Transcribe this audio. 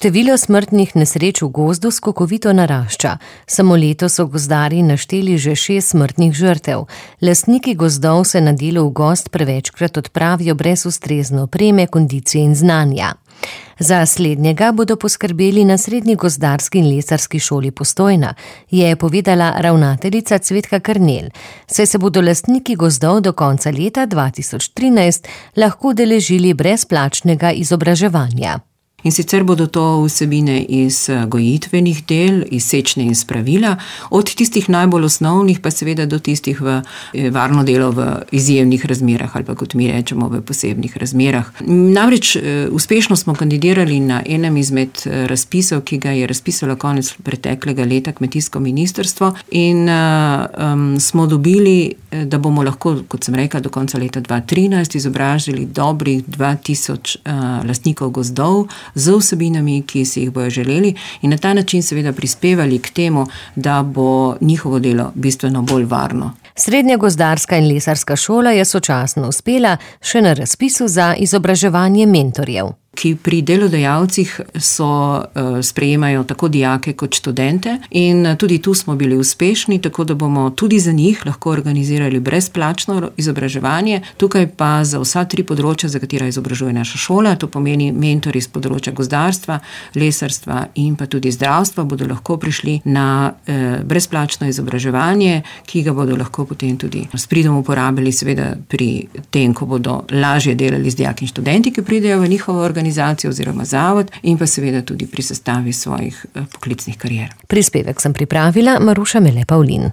Število smrtnih nesreč v gozdu skokovito narašča. Samo letos so gozdarji našteli že 6 smrtnih žrtev. Lastniki gozdov se na delo v gozd prevečkrat odpravijo brez ustrezne opreme, kondicije in znanja. Za slednjega bodo poskrbeli na Srednji gozdarski in lesarski šoli Postojna, je povedala ravnateljica Cvetka Karnel, saj se bodo lastniki gozdov do konca leta 2013 lahko udeležili brezplačnega izobraževanja. In sicer bodo to vsebine iz gojitvenih del, iz sečnje in spravila, od tistih najbolj osnovnih pa seveda do tistih v varno delo v izjemnih razmerah ali pa kot mi rečemo v posebnih razmerah. Namreč uspešno smo kandidirali na enem izmed razpisov, ki ga je razpisalo konec preteklega leta kmetijsko ministrstvo in smo dobili, da bomo lahko, kot sem rekla, do konca leta 2013 izobražili dobrih 2000 lastnikov gozdov z vsebinami, ki si jih bojo želeli in na ta način seveda prispevali k temu, da bo njihovo delo bistveno bolj varno. Srednja gozdarska in lesarska šola je sočasno uspela še na razpisu za izobraževanje mentorjev, ki pri delodajalcih sprejemajo tako dijake kot študente in tudi tu smo bili uspešni, tako da bomo tudi za njih lahko organizirali brezplačno izobraževanje. Tukaj pa za vsa 3 področja, za katera izobražuje naša šola, to pomeni mentori z področja gozdarstva, lesarstva in pa tudi zdravstva, bodo lahko prišli na brezplačno izobraževanje, ki ga bodo lahko potem tudi s pridom uporabili seveda pri tem, ko bodo lažje delali z dijaki in študenti, ki pridejo v njihovo organizacijo oziroma zavod in pa seveda tudi pri sestavi svojih poklicnih karier. Prispevek sem pripravila Maruša Mele Pavlin.